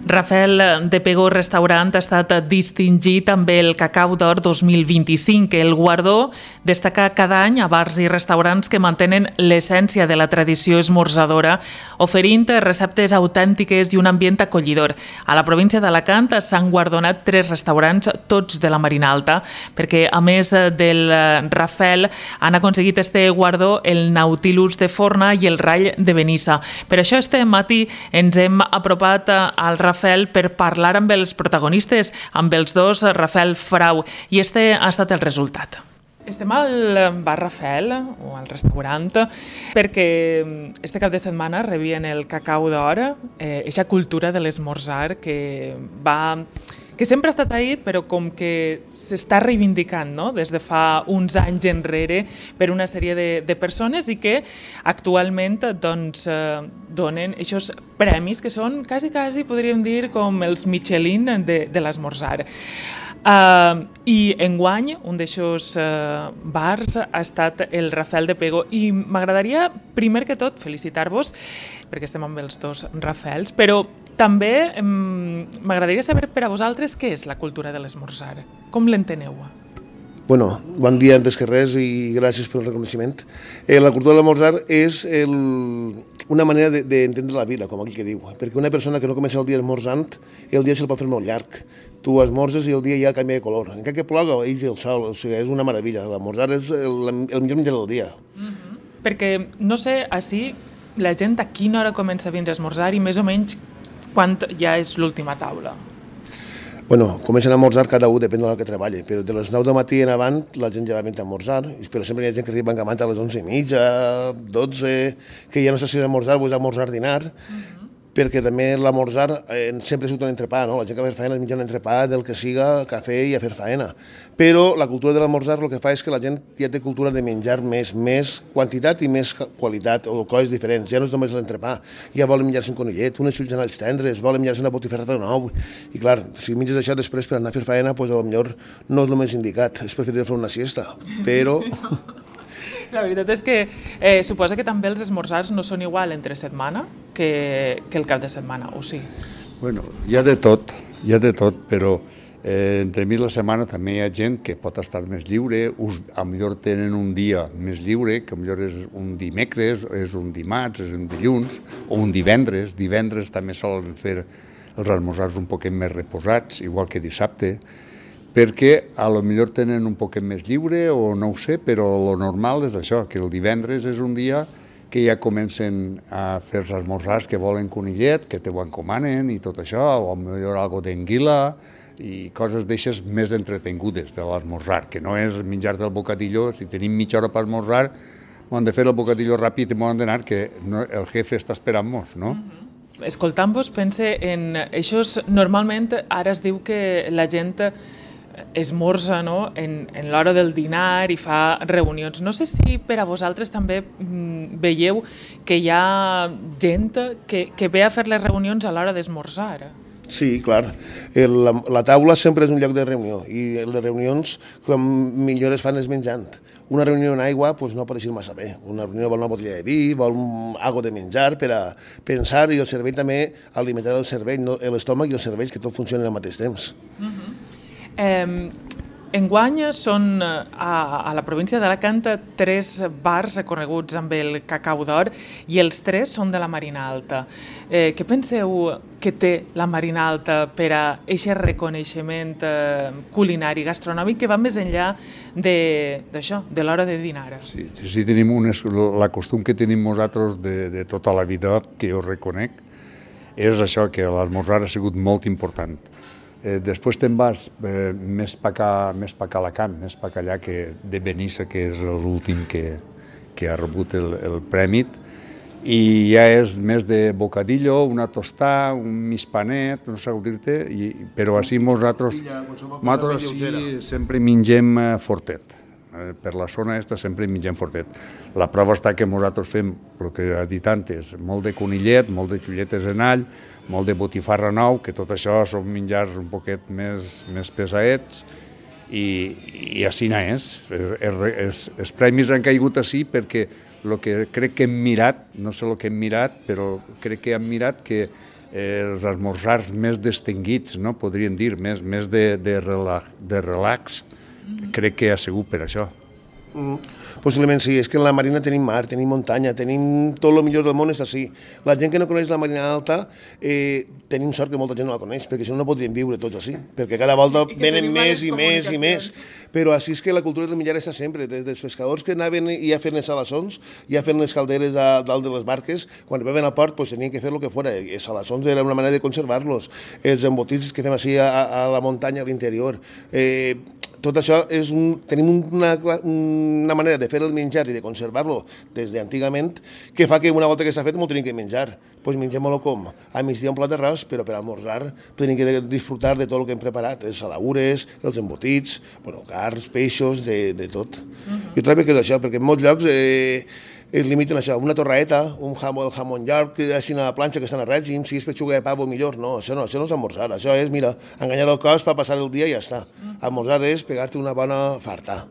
Rafael de Pego Restaurant ha estat distingit amb el Cacau d'Or 2025. El guardó destaca cada any a bars i restaurants que mantenen l'essència de la tradició esmorzadora, oferint receptes autèntiques i un ambient acollidor. A la província d'Alacant s'han guardonat 3 restaurants, tots de la Marina Alta, perquè a més del Rafael han aconseguit este guardó el Nautilus de Forna i el Rall de Benissa. Per això este matí ens hem apropat al Rafael per parlar amb els protagonistes, amb els dos, Rafael Frau, i este ha estat el resultat. Estem al bar Rafael, o al restaurant, perquè este cap de setmana rebien el Cacau d'Or, eixa cultura de l'esmorzar que sempre ha estat ahí, però com que s'està reivindicant, no?, des de fa uns anys enrere per una sèrie de persones i que actualment doncs, donen aquests premis que són quasi, podríem dir, com els Michelin de l'esmorzar. I enguany un d'aixòs bars ha estat el Rafael de Pego i m'agradaria primer que tot felicitar-vos perquè estem amb els dos Rafaels, però també m'agradaria saber per a vosaltres què és la cultura de l'esmorzar, com l'enteneu? Bueno, bon dia antes que res i gràcies pel reconeixement. La cultura de l'esmorzar és una manera d'entendre la vida, com aquell que diu, perquè una persona que no comença el dia esmorzant, el dia se'l pot fer molt llarg. Tu esmorzes i el dia ja canvia de color. Encara que ploga, ix el sol, o sigui, és una meravella. L'esmorzar és el millor menjar del dia. Perquè, no sé, així la gent a quina hora comença a vindre a esmorzar i més o menys quan ja és l'última taula? Bueno, comencen a esmorzar cada un, depèn de l'hora que treballa, però de les 9 del matí en avant la gent ja va venir a esmorzar, però sempre hi ha gent que arriba encamant a les 11:30, 12, que ja no sé si és esmorzar o és esmorzar dinar, perquè també l'esmorzar sempre surt un entrepà, no? La gent que va fer faena es menja un entrepà del que siga, cafè i a fer faena. Però la cultura de l'esmorzar el que fa és que la gent ja té cultura de menjar més quantitat i més qualitat, o coses diferents. Ja no és només l'entrepà, ja volen menjar-se un conillet, unes xulls tendres, volen menjar-se una botifarrata de nou. I clar, si menges això després per anar a fer faena, doncs potser no és el més indicat, és preferible fer una siesta. Però... La veritat és que suposa que també els esmorzars no són igual entre setmana que el cap de setmana, o sí? Bueno, hi ha de tot, però entre mi la setmana també hi ha gent que pot estar més lliure, a millor tenen un dia més lliure, que a millor és un dimecres, és un dimarts, és un dilluns, o un divendres. Divendres també solen fer els esmorzars un poquet més reposats, igual que dissabte, perquè a lo millor tenen un poquet més lliure o no ho sé, però lo normal és això, que el divendres és un dia que ja comencen a fer els esmorzars que volen conillet, que te ho encomanen i tot això, o millor algo d'anguila i coses d'eixes més entretingudes de l'esmorzar, que no és menjar del bocadillo. Si tenim mitja hora per esmorzar, hem de fer el bocadillo ràpid i hem d'anar, que el jefe està esperant-nos, no? Escoltant-vos, pense en això. Normalment ara es diu que la gent esmorza, no?, en l'hora del dinar i fa reunions. No sé si per a vosaltres també veieu que hi ha gent que ve a fer les reunions a l'hora d'esmorzar. Sí, clar. La taula sempre és un lloc de reunió i les reunions com millor es fan és menjant. Una reunió en aigua doncs, no pot eixir massa bé. Una reunió vol una botella de vi, vol algo de menjar per a pensar, i el cervell també, alimentar el cervell, l'estómac i el cervell, que tot funcioni al mateix temps. Enguany són a la província d'Alacant 3 bars reconeguts amb el Cacau d'Or i els 3 són de la Marina Alta. Què penseu que té la Marina Alta per a aquest reconeixement culinari, gastronòmic, que va més enllà d'això, de l'hora de dinar? Sí, tenim la costum que tenim nosaltres de tota la vida, que jo reconec, és això, que l'esmorzar ha sigut molt important. Després te'n vas més pa a Alacant, més pa allà que de Benissa, que és l'últim que ha rebut el premi, i ja és més de bocadillo, una tostà, un mig panet, no sé dir-te, però així nosaltres sempre mengem fortet. Per la zona aquesta sempre mengem fortet. La prova està que nosaltres fem, el que he dit antes, molt de conillet, molt de xulletes en all, molt de botifarra nou, que tot això són menjars un poquet més pesaets, i així és. Els premis han caigut així perquè el que crec que hem mirat, no sé el que hem mirat, però crec que hem mirat que els esmorzars més distinguits, no? Podríem dir, més de relax, crec que ha sigut per això. Possiblement sí, és que en la Marina tenim mar, tenim muntanya, tenim tot el millor del món és així. La gent que no coneix la Marina Alta, tenim sort que molta gent no la coneix, perquè si no, no podríem viure tots així, perquè cada volta venen més i més i més. Però així és que la cultura del menjar està sempre, des dels pescadors que anaven ja fent les salassons, ja fent les calderes a dalt de les barques, quan veven al port pues, tenien que fer el que fora. Els salassons era una manera de conservar-los, els embotits que fem així a la muntanya, a l'interior. Tot això tenim una manera de fer el menjar i de conservar-lo des d'antigament que fa que una volta que s'ha fet m'ho tenim que menjar. Doncs mengem-lo com? A migdia un plat d'arròs, però per almorzar tenim que disfrutar de tot el que hem preparat, els saladures, els embotits, carns, peixos, de tot. Jo trobo que és això, perquè en molts llocs es limiten a això, una torraeta, el jamón york, així a la planxa que estan a règim, si és pechuga de pavo millor, no, això no és almorzar, això és, mira, enganyar el cos per passar el dia i ja està. Almorzar és pegar-te una bona farta.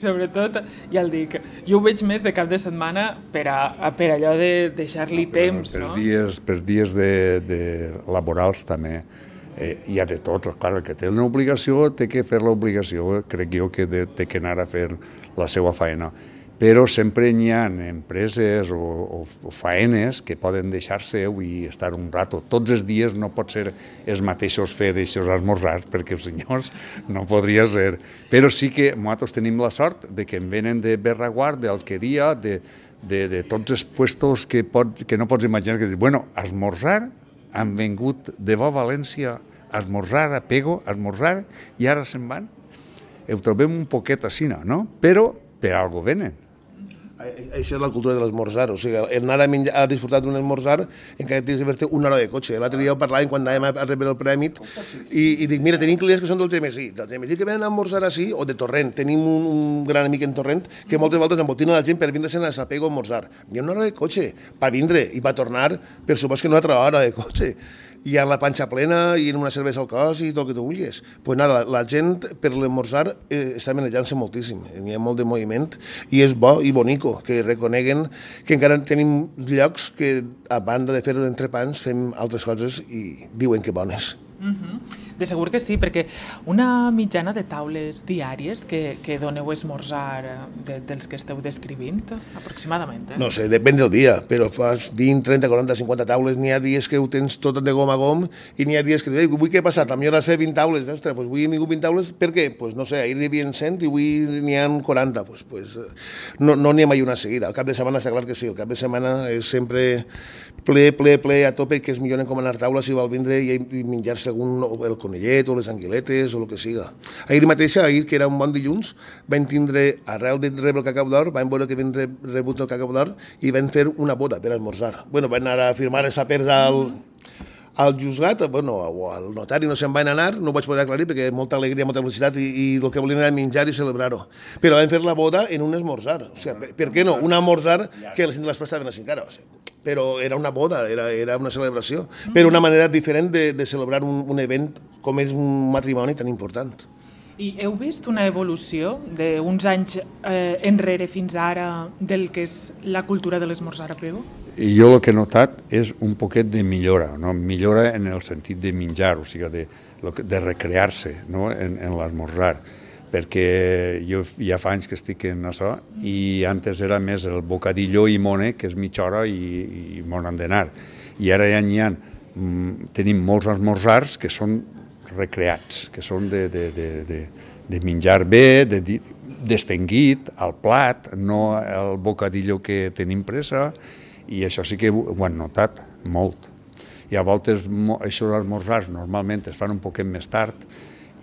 Sobretot, ja el dic, jo ho veig més de cap de setmana per allò de deixar-li temps, no? Per dies laborals també. Hi ha de tot, clar, el que té una obligació té que fer l'obligació, crec jo que té que anar a fer la seva feina. Però sempre hi ha empreses o faenes que poden deixar-se i estar un rato. Tots els dies no pot ser els mateixos fer aquests esmorzars, perquè els senyors no podria ser. Però sí que nosaltres tenim la sort de que en venen de Berraguard, d'Alqueria, de tots els puestos que no pots imaginar, que dius, bueno, esmorzar, han vengut de bo a València, esmorzar a Pego, esmorzar, i ara se'n van. Ho trobem un poquet així, no? Però per algo venen. Això és la cultura de l'esmorzar, o sigui, anar a disfrutar d'un esmorzar encara tens de fer-te una hora de cotxe. L'altre dia ho parlàvem quan anàvem a rebre el premi i dic, mira, tenim clients que són del Gemesí, que venen a esmorzar així, o de Torrent. Tenim un gran amic en Torrent que moltes voltes embotina la gent per vindre-se'n a Sapego a esmorzar. N'hi ha una hora de cotxe per vindre i per tornar, per supost que una altra hora de cotxe. I amb la panxa plena i una cervesa al cos i tot el que tu vulguis. Pues nada, la gent per l'esmorzar està manejant-se moltíssim, hi ha molt de moviment i és bo i bonico que reconeguen que encara tenim llocs que a banda de fer entrepans fem altres coses i diuen que bones. De segur que sí, perquè una mitjana de taules diàries que doneu a esmorzar dels que esteu descrivint, aproximadament. No sé, depèn del dia, però fas 20, 30, 40, 50 taules, n'hi ha dies que ho tens tot de gom a gom i n'hi ha dies que dius, vull què ha passat? A mi has fet 20 taules, ostres, doncs avui he vingut 20 taules, per què? Doncs no sé, ahir n'hi havia 100 i avui n'hi ha 40, doncs no n'hi ha mai una seguida. El cap de setmana està clar que sí, el cap de setmana és sempre ple a tope, que és millor encomanar taules si vol vindre i menjar segon el conillet o les anguiletes o el que siga. Ahir mateix, que era un bon dilluns, vam tindre, arrel de rebre el cacau d'or, vam veure que vam rebut el cacau d'or i vam fer una boda per esmorzar. Bueno, van anar a firmar els papers al juzgat, o al notari no se'n van anar, no ho vaig poder aclarir perquè molta alegria, molta felicitat i el que volien era menjar i celebrar-ho. Però vam fer la boda en un esmorzar. O sigui, per què no? Un esmorzar que les prestaven així encara. O sigui, però era una boda, era una celebració, però una manera diferent de celebrar un event com és un matrimoni tan important. I heu vist una evolució d'uns anys enrere fins ara del que és la cultura de l'esmorzar a Pego? I jo el que he notat és un poquet de millora, no? Millora en el sentit de menjar, o sigui, de recrear-se, no? En l'esmorzar, perquè jo ja fa anys que estic en això i antes era més el bocadillo i mone, que és mitja hora i m'on han d'anar. I ara ja tenim molts esmorzars que són recreats, que són de menjar bé, distingit, al plat, no el bocadillo que tenim pressa, i això sí que ho han notat molt. I a voltes aquests esmorzars normalment es fan un poquet més tard,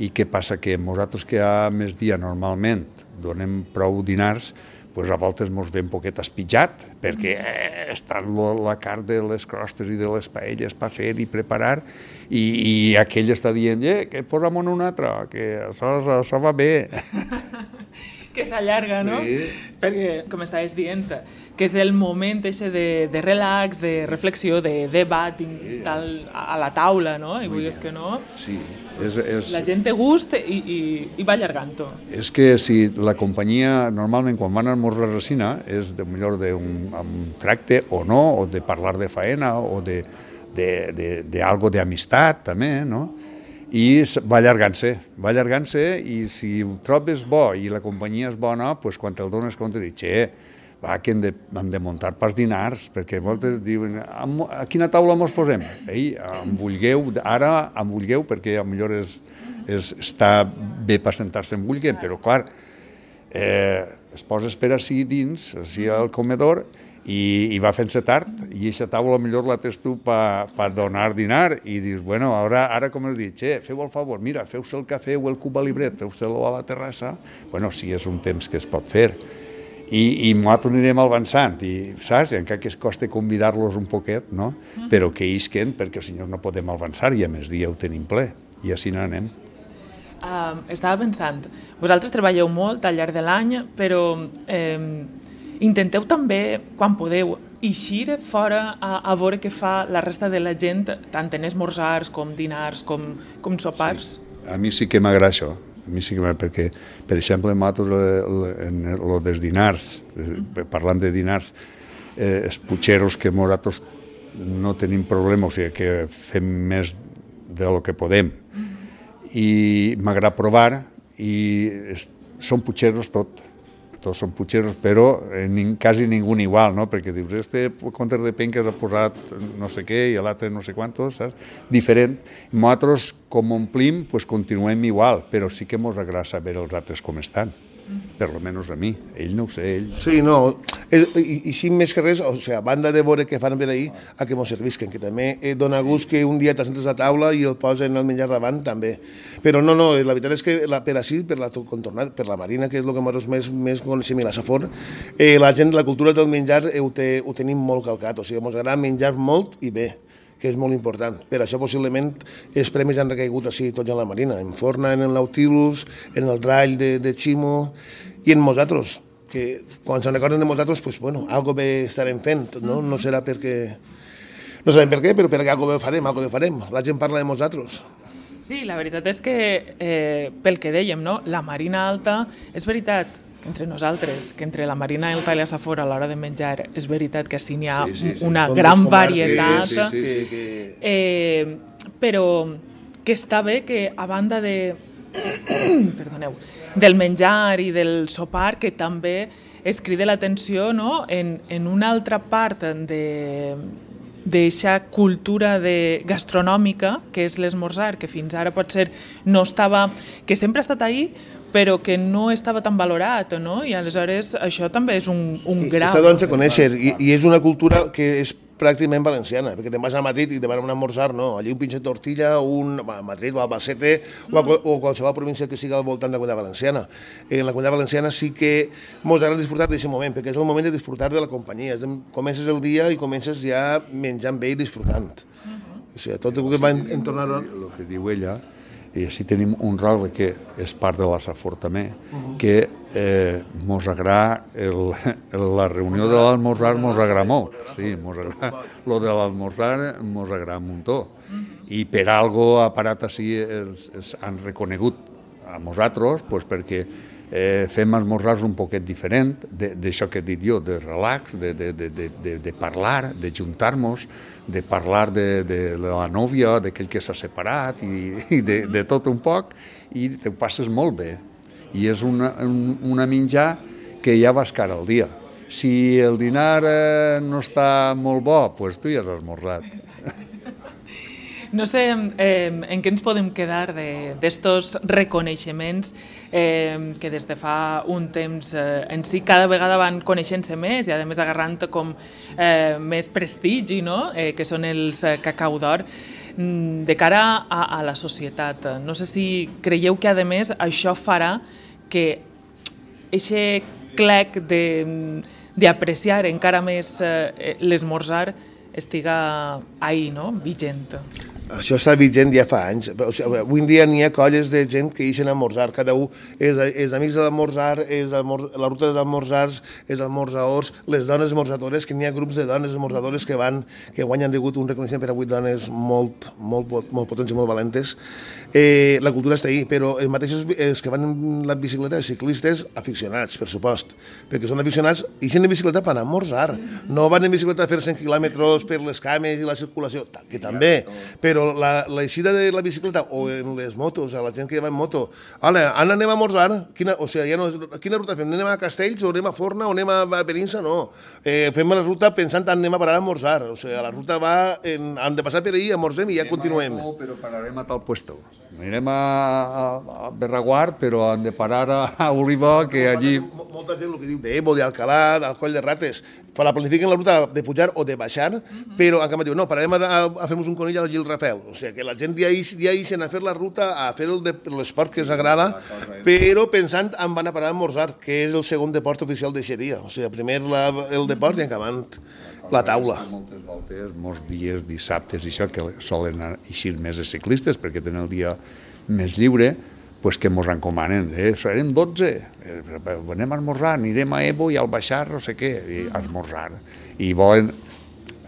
i què passa? Que nosaltres que a migdia normalment donem prou dinars, doncs a voltes ens ve un poquet espitjat, perquè està la carn de les crostes i de les paelles per fer i preparar, i aquell està dient, que posa'm un altre, que això va bé. Que s'allarga, no? Sí. Perquè, com estaves dient, que és el moment de relax, de reflexió, de debat a la taula, no? I vulguis que no, sí. La gent té gust i va allargant-ho. És que si la companyia, normalment quan van a esmorzar a resina, és millor d'un tracte o no, o de parlar de faena, o de d'algo d'amistat també, no? I va allargant-se i si ho trobes bo i la companyia és bona, doncs quan te'l dones compte dius, va, que hem de muntar pas dinars, perquè moltes diuen, a quina taula mos posem? Ei, ara em vulgueu, perquè potser està bé per sentar-se en vulguem, però clar, es posa a esperar així dins, així al comedor, i va fent-se tard, i aquesta taula millor la tens tu per donar dinar, i dius, bueno, ara com has dit, feu el favor, mira, feu-se el cafè o el cub a l'ibret, feu-se-lo a la terrassa, bueno, sí, és un temps que es pot fer, i nosaltres anirem avançant, i saps, encara que es costa convidar-los un poquet, no? Però que isquen, perquè si no podem avançar, i a més dia ho tenim ple, i així n'anem. Estava pensant, vosaltres treballeu molt al llarg de l'any, però intenteu també, quan podeu, eixir fora a veure què fa la resta de la gent, tant en esmorzars com dinars com sopars? Sí. A mi sí que m'agrada això, perquè, per exemple, nosaltres en el dels dinars, parlant de dinars, els putxeros que nosaltres no tenim problema, o sigui que fem més del que podem, i m'agrada provar, i són putxeros tots són putxeros, però quasi ningú igual, no? Perquè dius, este conter de penques ha posat no sé què i l'altre no sé quantos, saps? Diferent. Nosaltres, com omplim, pues continuem igual, però sí que mos agrada saber els altres com estan. Per lo menos a mi. Ell no ho sé, ell... Sí, no, i sí, més que res, o sigui, a banda de veure què fan per ahir, a que mos servisquen, que també dona gust que un dia t'assentes a taula i el posen el menjar davant, també. Però no, la veritat és que per així, per la contornada, per la Marina, que és el que nosaltres més coneixem, i la Safor, la gent, la cultura del menjar ho tenim molt calcat, o sigui, mos agrada menjar molt i bé, que és molt important. Per això, possiblement, els premis han recaigut així tots en la Marina, en Forna, en el Nautilus, en el Drall de Ximo i en nosaltres, que quan se'n recorden de nosaltres, pues, bueno, algo bé estarem fent, no? No serà perquè... No sabem per què, però perquè algo bé farem. La gent parla de nosaltres. Sí, la veritat és que, pel que dèiem, no? La Marina Alta, és veritat, entre nosaltres, que entre la Marina Alta i la Safor a l'hora de menjar és veritat que sí n'hi ha una gran varietat, però que està bé que a banda de del menjar i del sopar, que també es crida l'atenció, no? En una altra part d'eixa cultura gastronòmica, que és l'esmorzar, que fins ara potser no estava, que sempre ha estat ahí, però que no estava tan valorat, no? I aleshores això també és un grau. S'ha de conèixer, i és una cultura que és pràcticament valenciana, perquè te'n vas a Madrid i te van a esmorzar, no? Allí un pinche tortilla, a Madrid o a Albacete o qualsevol província que sigui al voltant de la Comunitat Valenciana. En la Comunitat Valenciana sí que ens agrada disfrutar d'aquest moment, perquè és el moment de disfrutar de la companyia. Comences el dia i comences ja menjant bé i disfrutant. O sigui, tot el que va en tornar... El que diu ella, i així tenim un rol que és part de la Safor també, que mos agrada la reunió de l'almorzar mos agrada molt, sí, mos agrada, lo de l'almorzar mos agrada un muntó, i per algo ha parat així han reconegut a nosaltres, pues perquè fem esmorzars un poquet diferent d'això que he dit jo, de relax, de parlar, de juntar-nos, de parlar de la nòvia, d'aquell que s'ha separat i de tot un poc, i te ho passes molt bé. I és una menjar que ja vas cara al dia. Si el dinar no està molt bo, doncs tu ja has esmorzat. No sé en què ens podem quedar d'estos reconeixements que des de fa un temps en si cada vegada van coneixent-se més i a més agarrant com més prestigi, no? Que són els Cacau d'Or de cara a la societat. No sé si creieu que a més això farà que aquest clec d'apreciar encara més l'esmorzar estiga ahí, no? Vigent. Això està vigent ja fa anys. O sigui, avui en dia n'hi ha colles de gent que ixen a esmorzar. Cada un és amics de l'esmorzar, la ruta dels esmorzars, és esmorzaors, les dones esmorzadores, que n'hi ha grups de dones esmorzadores que guany han rebut un reconeixement per a 8 dones molt potents i molt valentes. La cultura està ahí, però els mateixos que van en la bicicleta, els ciclistes aficionats, per supost, perquè són aficionats, ixen en bicicleta per anar a esmorzar. No van en bicicleta a fer 100 quilòmetres per les cames i la circulació, que també, però l'eixida de la bicicleta o en les motos, a la gent que va en moto, Anna, anem a esmorzar, quina ruta fem? Anem a Castells o anem a Forna o anem a Perinsa? No, fem la ruta pensant que anem a parar a esmorzar, o sigui, la ruta han de passar per ahí, esmorzem i ja continuem. Però pararem a tal puesto. Anirem a Berraguard, però hem de parar a Oliva, que allí... Molta gent, el que diu d'Ebo, d'Alcalà, del Coll de Rates, la planifiquen la ruta de pujar o de baixar, però en canvi diu, no, pararem a fer-nos un conill al Gil Rafel. O sigui, que la gent ja ixen a fer la ruta, a fer l'esport que els agrada, però pensant en van a parar a esmorzar, que és el segon deport oficial de Xeria. O sigui, primer el deport i acabant la taula. Moltes voltes, molts dies, dissabtes i això, que solen eixir més els ciclistes perquè tenen el dia més lliure, pues que mos encomanen, serem 12, anem a esmorzar, anirem a Evo i al baixar, no sé què, a esmorzar. I volen...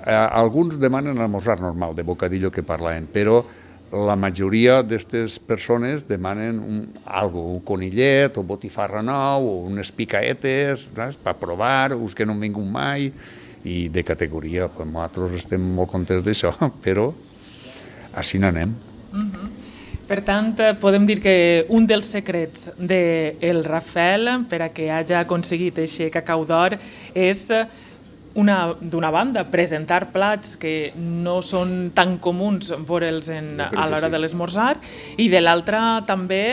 alguns demanen esmorzar normal, de bocadillo que parlàvem, però la majoria d'aquestes persones demanen un conillet, o botifarra nou, o unes picaetes, per provar, uns que no han vingut mai, i de categoria. Nosaltres estem molt contents d'això, però així n'anem. Per tant, podem dir que un dels secrets del Rafel per a que hagi aconseguit aquest cacau d'or és, d'una banda, presentar plats que no són tan comuns veure'ls a l'hora de l'esmorzar, i de l'altra també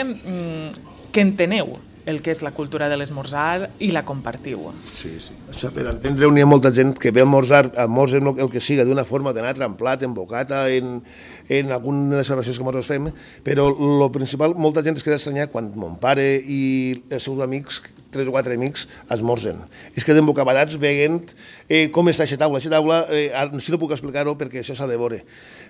que enteneu el que és la cultura de l'esmorzar i la compartiu. Sí. Això, per entendre-ho, n'hi ha molta gent que ve a esmorzar el que siga d'una forma, d'anar en plat, en bocata, en algunes celebracions que nosaltres fem, però el principal, molta gent es queda estranyada quan mon pare i els seus amics, 3 o 4 amics, esmorzen. Es queden bocabadats veient com està aquesta taula. Aquesta taula, si no puc explicar-ho perquè això s'ha de veure.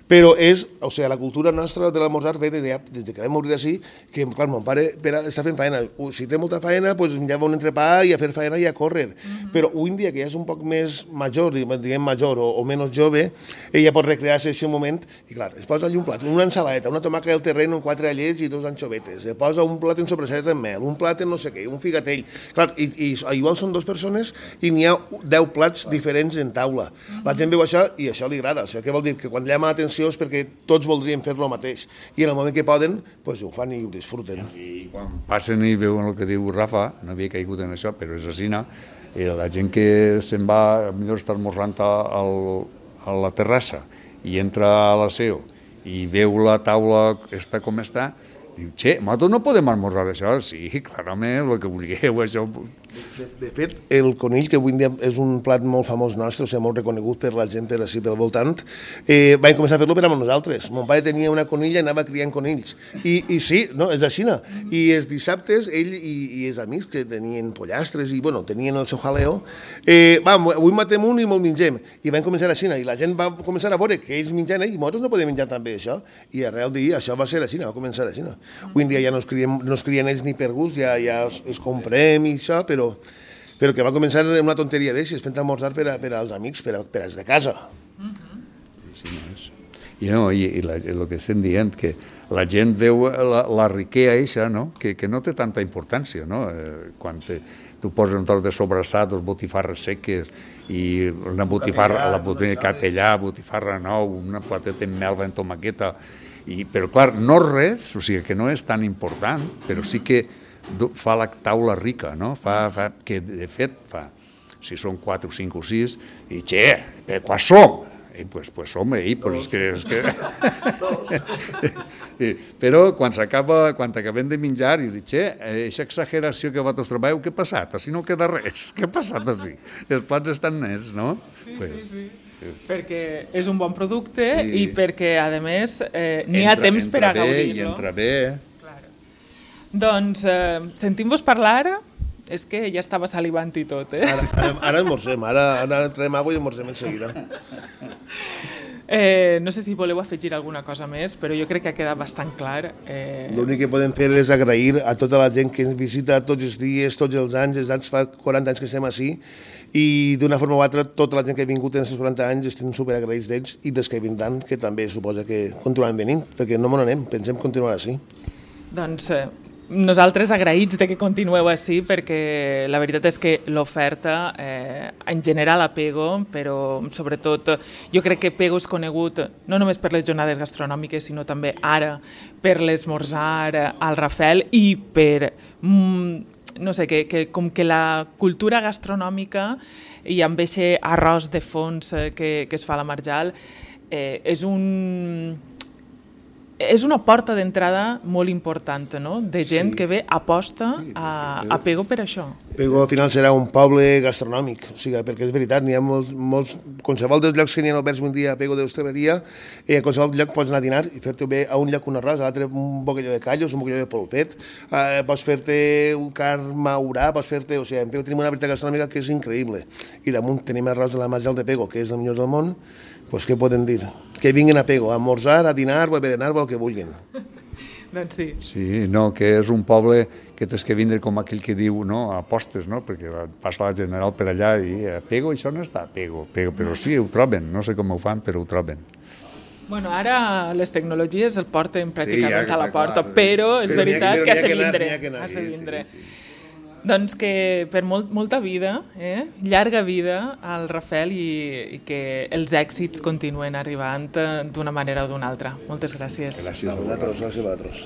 Però és, o sigui, la cultura nostra de l'esmorzar ve des que vam morir d'ací, que, clar, mon pare està fent faena. Si té molta faena, doncs ja va un entrepà i a fer faena i a córrer. Però avui en dia, que ja és un poc més major, diguem major o menys jove, ella pot recrear-se en aquest moment i, clar, es posa allí un plat, una ensaladeta, una tomaca del terreny amb 4 allets i 2 anxovetes, es posa un plat en sobrassat amb mel, un plat en no sé què, un figatell. Clar, i igual són 2 persones i n'hi ha 10 plats diferents en taula. La gent veu això i això li agrada. Això què vol dir? Que quan llama l'atenció és perquè tots voldrien fer el mateix. I en el moment que poden, doncs ho fan i ho disfruten. I quan passen i veuen el que diu Rafa, no havia caigut en això, però és així, la gent que se'n va, millor està esmorzant a la terrassa i entra a la seu i veu la taula està com està, diu, nosaltres no podem esmorzar això? Sí, clarament, el que vulgueu, això... De fet, el conill, que avui en dia és un plat molt famós nostre, o sigui, molt reconegut per la gent per ací, pel voltant, vam començar a fer-lo per a nosaltres. Mon pare tenia una conilla i anava criant conills. I sí, no, és així. I els dissabtes, ell i els amics que tenien pollastres i, bueno, tenien el seu jaleo, avui matem un i me'l mengem. I vam començar així, i la gent va començar a veure que ells menjant, i nosaltres no podem menjar també això. I arrel d'ahir això va ser així, va començar així. Avui en dia ja no es crien ells ni per gust, ja es comprem i això, però que va començar amb una tonteria d'aixes, fent esmorzar per als amics, per als de casa. Sí, no és. I el que estem dient, que la gent veu la riquea eixa, que no té tanta importància, quan tu poses un tros de sobrassat, dos botifarres seques, i una botifarra, la capellà, botifarra nou, una plateta amb melva en tomaqueta, però clar, no res, o sigui que no és tan important, però sí que fa la taula rica, que de fet fa, si són 4 o 5 o 6, i quan som? I pues som, és que... Però quan acabem de menjar, i dic, aquesta exageració que vosaltres treballeu, què ha passat? Així no queda res, què ha passat així? Els plats estan nets, no? Sí. Perquè és un bon producte i perquè, a més, n'hi ha temps per a gaudir-lo. I entra bé. Doncs, sentim-vos parlar, és que ja estava salivant i tot, Ara esmorzem, ara traiem aigua i esmorzem en seguida. No sé si voleu afegir alguna cosa més, però jo crec que ha quedat bastant clar. L'únic que podem fer és agrair a tota la gent que ens visita tots els dies, tots els anys fa 40 anys que estem així, i d'una forma o altra tota la gent que ha vingut en aquests 40 anys estem superagraïts d'ells i dels que vindran, que també suposa que continuaran venint, perquè no me n'anem, pensem continuar així. Doncs nosaltres agraïts de que continueu així, perquè la veritat és que l'oferta en general a Pego, però sobretot jo crec que Pego és conegut no només per les jornades gastronòmiques, sinó també ara per l'esmorzar al Rafel i per, no sé, que com que la cultura gastronòmica i amb aquest arròs de fons que es fa a la Marjal és una porta d'entrada molt important, no? De gent que ve aposta a Pego per això. Pego al final serà un poble gastronòmic, o sigui, perquè és veritat, n'hi ha molts, qualsevol dels llocs que n'hi ha oberts un dia a Pego d'hostaleria, a qualsevol lloc pots anar a dinar i fer-te bé a un lloc un arròs, a l'altre un bocadillo de callos, un bocadillo de polpet, pots fer-te un carn maurà, pots fer-te... O sigui, en Pego tenim una veritat gastronòmica que és increïble. I damunt tenim arròs de la Marjal de Pego, que és el millor del món. Doncs què poden dir? Que vinguin a Pego, a esmorzar, a dinar o a berenar o el que vulguin. Doncs sí. Sí, no, que és un poble que tens que vindre com aquell que diu, no, apostes, no? Perquè passa la General per allà i a Pego això no està a Pego, però sí, ho troben, no sé com ho fan, però ho troben. Bueno, ara les tecnologies el porten pràcticament a la porta, però és veritat que has de vindre. Doncs que per molta vida, llarga vida al Rafel i que els èxits continuen arribant d'una manera o d'una altra. Moltes gràcies. Gràcies a vosaltres.